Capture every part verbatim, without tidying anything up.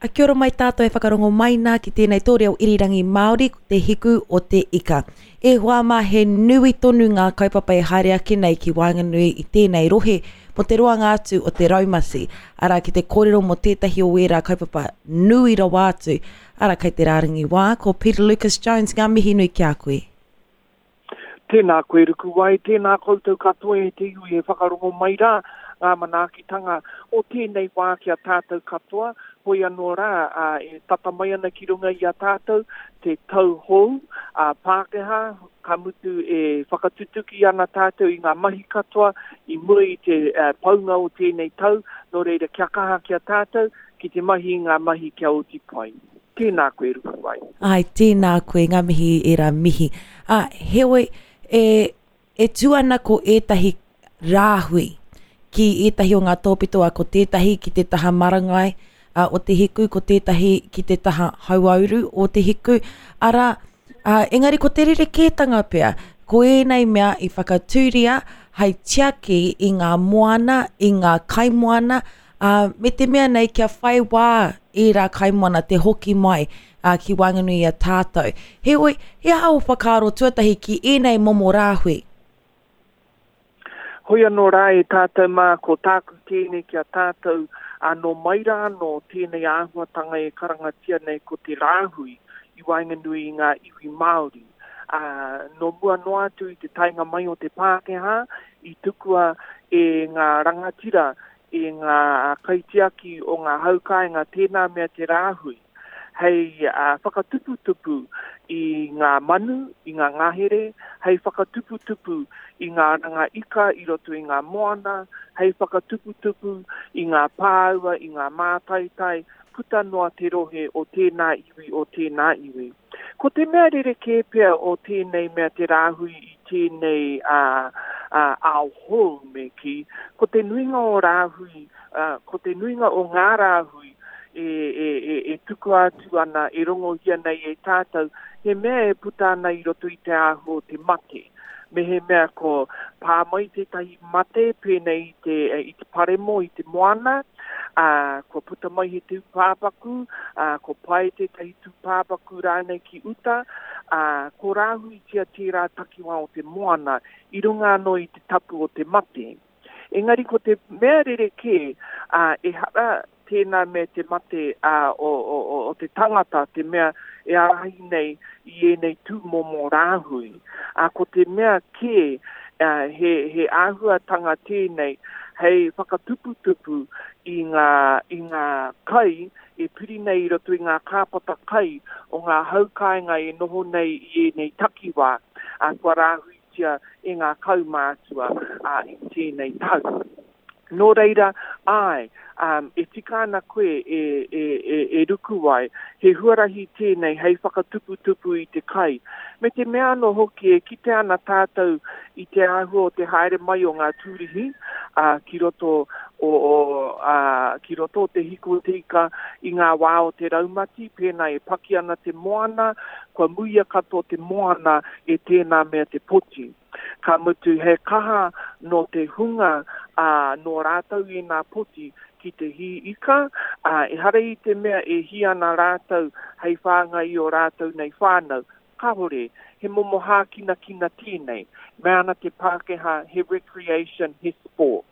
A kia ora mai tātou e whakarongo mai nā ki tēnei tō reo irirangi Māori, ko te hiku o te ika. E hoa mā, he nui tonu ngā kaupapa e haere ake nei ki waenganui i tēnei rohe mō te roanga atu o te raumati. Arā, ki te kōrero mō tētahi o ērā kaupapa nui rawa atu. Arā, kei te rārangi wā, ko Peter Lucas Jones, ngā mihi nui ki a koe. Tēnā koe Rukuwai, tēnā koutou katoa e te iwi e whakarongo mai rā, ngā manaakitanga o tēnei wā ki a tātou katoa, hoi anō rā, ā, e tata mai ana ki runga i a tātou te tau hou, ā, Pākehā, ka mutu e whakatutuki ana tātou i ngā mahi katoa i mua i te uh, paunga o tēnei tau, nō reira kia kaha ki a tātou ki te mahi i ngā mahi kia oti pai. Tēnā koe Rukuwai. Ai, tēnā koe, ngā mihi ērā mihi. Ā, heoi, e, e tū ana ko ētahi rāhui ki ētahi o ngā tōpito, a ko tētahi ki te taha marangai a, o te hiku, ko tētahi ki te taha hauauru o te hiku. Arā, a, engari ko te rerekētanga pea, ko ēnei mea i whakatūria hei tiaki i ngā moana, i ngā kaimoana, ā, me te mea nei kia whai wā ērā kaimoana te hoki mai ā, ki waenganui i a tātou. Heoi, he aha ō whakaaro tuatahi ki ēnei momo rāhui? Hoi anō rā e tātou mā, ko tāku tēnei ki a tātou, ā, nō mai rā anō tēnei āhuatanga e karangatia nei ko te rāhui i waenganui i ngā iwi Māori. Ā, nō mua noa atu i te taenga mai o te Pākehā, i tukua e ngā rangatira, e ngā kaitiaki o ngā haukāinga tēnā mea te rāhui, hei uh, whakatuputupu i ngā manu, i ngā ngahere, hei whakatuputupu i ngā ranga ika i roto i ngā moana, hei whakatuputupu i ngā pāua, i ngā mātaitai, puta noa te rohe o tēnā iwi, o tēnā iwi. Ko te mea rerekē pea o tēnei mea te rāhui i tēnei uh, uh, ao hou me kī, ko te nuinga o rāhui, uh, ko te nuinga o ngā rāhui e, e, e, e tukua atu ana, e rongohia nei e tātou, he mea e puta ana i roto i te āhua o te mate. Me he mea ko pā mai tētahi mate pēnei i te, i te paremo, i te moana, ā, kua puta mai he tūpāpaku, ā, ko pae tētahi tūpāpaku rānei ki uta, ā, ko rāhuitia tērā takiwā o te moana i runga anō i te tapu o te mate. Engari ko te mea rerekē, ā, ehara tēnā me te mate ā, o, o, o, o te tangata, te mea e ārahi nei i ēnei tūmomo rāhui. Ā, ko te mea kē, ā, he, he āhuatanga tēnei hei whakatuputupu i ngā, i ngā kai e piri nei i roto i ngā kāpata kai o ngā haukāinga e noho nei i ēnei takiwā, ā, kua rāhuitia e ngā kaumātua ā, i tēnei tau. Nō reira, āe, um, e tika ana koe e, e, e, e Rukuwai, he huarahi tēnei hei whakatuputupu i te kai. Me te mea anō hoki e kite ana tātou i te āhua o te haere mai o ngā tūrihi uh, ki roto o, o, uh, ki roto o te hiku o te ika i ngā wā o te raumati, pēnā e paki ana te moana, kua muia katoa te moana e tēnā mea te poti. Ka mutu he kaha nō te hunga ā, nō rātou ēnā poti ki te hī ika, ā, ehara i te mea e hī ana rātou hei whāngai i ō rātou nei whānau. Kāore, he momo hākinakina tēnei. Mea ana te Pākehā he recreation, he sport.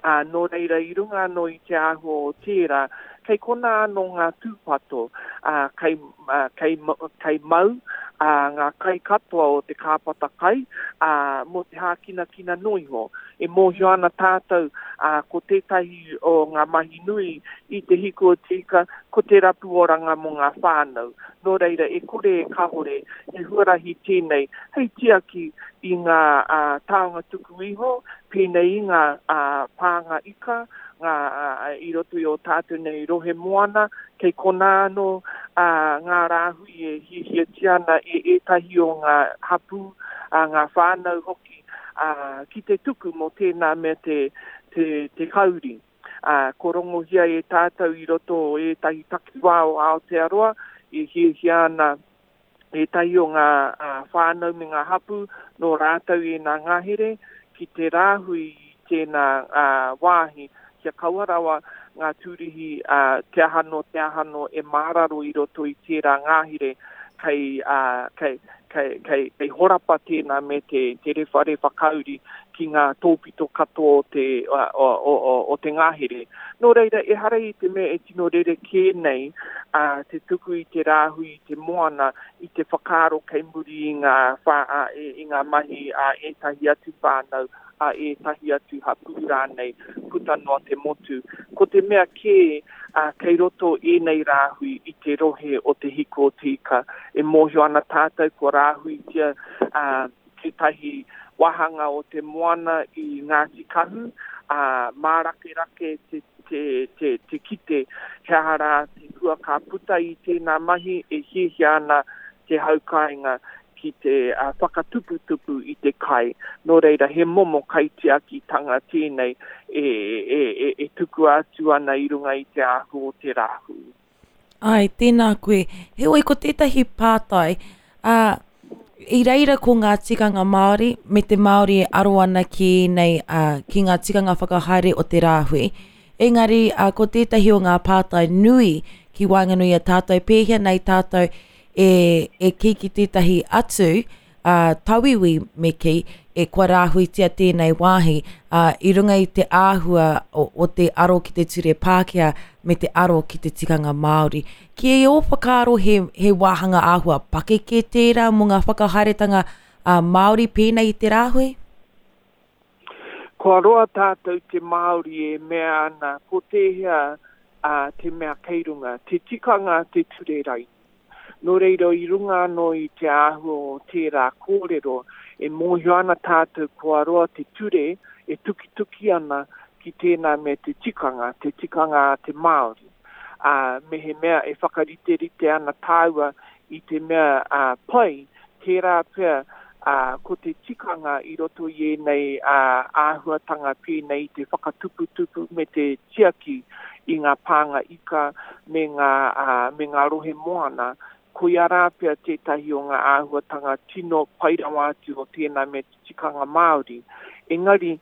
Ā, nō reira i runga anō i te āhua o tērā, kei konā anō ngā tūpato, ā, kei, ā, kei, kei mau, ā, ngā kai katoa o te kāpata kai, ā, mō te hākinakina noa iho. E mōhio ana tātou, ā, ko tētahi o ngā mahi nui i te hiku o te ika, ko te rapu oranga mō ngā whānau. Nō reira, e kore e kāore, he huarahi tēnei hei tiaki i ngā ā, taonga tuku iho, pēnei i ngā ā, pānga ika, ngā, ā, i roto i ō tātou nei rohe moana, kei konā anō ā, ngā rāhui e hiahiatia ana e ētahi o ngā hapū, ā, ngā whānau hoki, ā, ki te tuku mō tēnā mea te, te, te kauri. Ā, ko rongohia e tātou i roto o ētahi takiwā o Aotearoa, e hiahia ana ētahi o ngā ā, whānau me ngā hapū nō rātou ēnā ngahere ki te rāhui i tēnā ā, wāhi kia kaua rawa ngā tūrihi, uh, te ahano, te ahano e māraro i roto i tērā ngāhere kei, uh, kei, kei, kei, kei horapa tēnā me te, te rewharewha kauri ki ngā tōpito katoa o te, o, o, o, o te ngāhere. Nō reira, ehara i te mea e tino rerekē nei uh, te tuku i te rāhui i te moana i te whakaaro kei muri i ngā, wha, uh, i ngā mahi a uh, ētahi atu whānau, a ētahi atu hapū rānei, puta noa te motu. Ko te mea kē, uh, kei roto ēnei rāhui i te rohe o te hiko o te ika. E mōhio ana tātou kua rāhuitia uh, tētahi wāhanga o te moana i Ngāti Kahu, uh, mārakerake te, te, te, te kite he aha rā te hua ka puta i tēnā mahi e hiahia ana te haukainga ki te uh, whakatuputupu i te kai. Nō reira, he momo kaitiakitanga tēnei e, e, e, e tukua atu ana i runga i te āhua o te rāhui. Ai, tēnā koe. Heoi, ko tētahi pātai, uh, i reira ko ngā tikanga Māori me te Māori e aro ana ki nei, uh, ki ngā tikanga whakahaere o te rāhui. Engari, uh, ko tētahi o ngā pātai nui ki waenganui a tātou, pēhea nei tātou e, e kī ki tētahi atu, uh, tauiwi me kī, e kua rāhuitia tēnei wāhi, uh, i runga i te āhua o, o te aro ki te ture Pākehā me te aro ki te tikanga Māori. Ki e ō whakaaro he, he wāhanga āhua pakeke tērā mō ngā whakahaeretanga uh, Māori pēnei i te rāhui? Kua roa tātou te Māori e mea ana, ko tēhea uh, te mea kei runga, te tikanga te ture raini. Nō reira i runga anō i te āhua o tērā kōrero, e mōhio ana tātou kua roa te ture e tukituki ana ki tēnā me te tikanga, te tikanga a te Māori. Uh, me he mea e whakariterite ana tāua i te mea uh, pai, tērā pea uh, ko te tikanga i roto i ēnei uh, āhuatanga pēnei te whakatuputupu me te tiaki i ngā pānga ika me ngā, uh, me ngā rohe moana, koia rā pea tētahi o ngā āhuatanga tino pai rawa atu o tēnā me te tikanga Māori. Engari,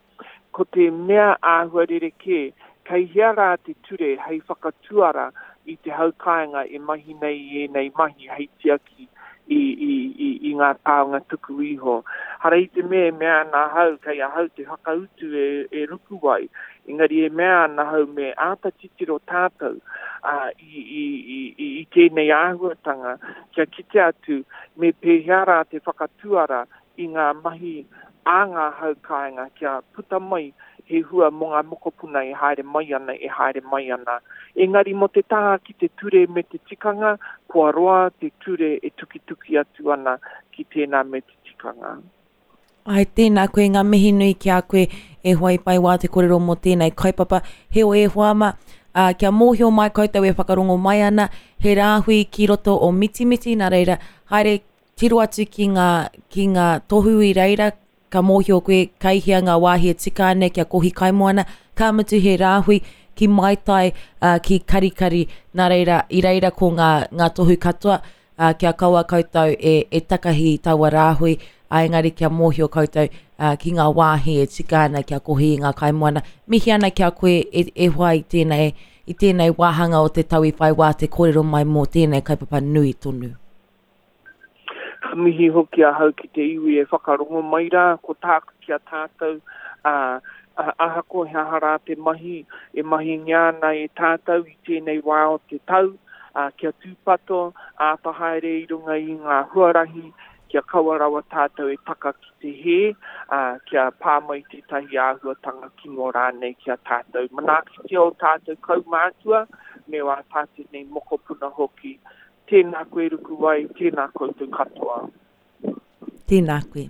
ko te mea āhua rerekē, kei hea rā te ture hei whakatuara i te haukainga e mahi nei i ēnei mahi hei tiaki i, i, i, i ngā taonga tuku iho. Hara i te mea e mea ana ahau, kei ahau te whakautu e, e rukuwai, engari e mea ana ahau me āta titiro tātou uh, i, i, i, i tēnei āhuatanga kia kite atu me pēhea rā te whakatuara i ngā mahi a ngā haukainga kia puta mai he hua mō ngā mokopuna e haere mai ana, e haere mai ana. Engari mō te taha ki te ture me te tikanga, kua roa te ture e tukituki atu ana ki tēnā me te tikanga. Ai, tēnā koe, ngā mihi nui ki a koe e hoa i whai wā te kōrero mō tēnei kaupapa. Heoi e hoa ma, uh, kia mōhio mai koutou e whakarongo mai ana, he rāhui ki roto o Mitimiti, nā reira, haere tiro atu ki ngā, ki ngā tohu i reira, ka mōhio koe kei hea ngā wāhi e tika ana kia kohi kaimoana, ka mutu he rāhui ki Maitai, uh, ki Karikari, nā reira, i reira ko ngā, ngā tohu katoa, uh, kia kaua koutou e, e takahi i taua rāhui, a engari kia mōhio koutou uh, ki ngā wāhi e tika ana kia kohi i ngā kaimoana. Mihi ana kia koe e, e hoa i tēnei, i tēnei wāhanga o te tau i whai wā te kōrero mai mō tēnei kaupapa nui tonu. Ka mihi hoki ahau ki te iwi e whakarongo mai rā, ko tāku ki a tātou, uh, ahakoa he aha rā te mahi, e mahingia ana e tātou i tēnei wā o te tau, uh, kia tūpato, āta haere i runga i ngā huarahi, kia kaua rawa tātou e taka ki te hē, uh, kia pā mai tētahi āhuatanga kino rānei ki a tātou. Manaakitia o tātou kaumātua, me wā tātou nei mokopuna hoki. Tēnā koe Rukuwai, tēnā koutou katoa. Tēnā koe.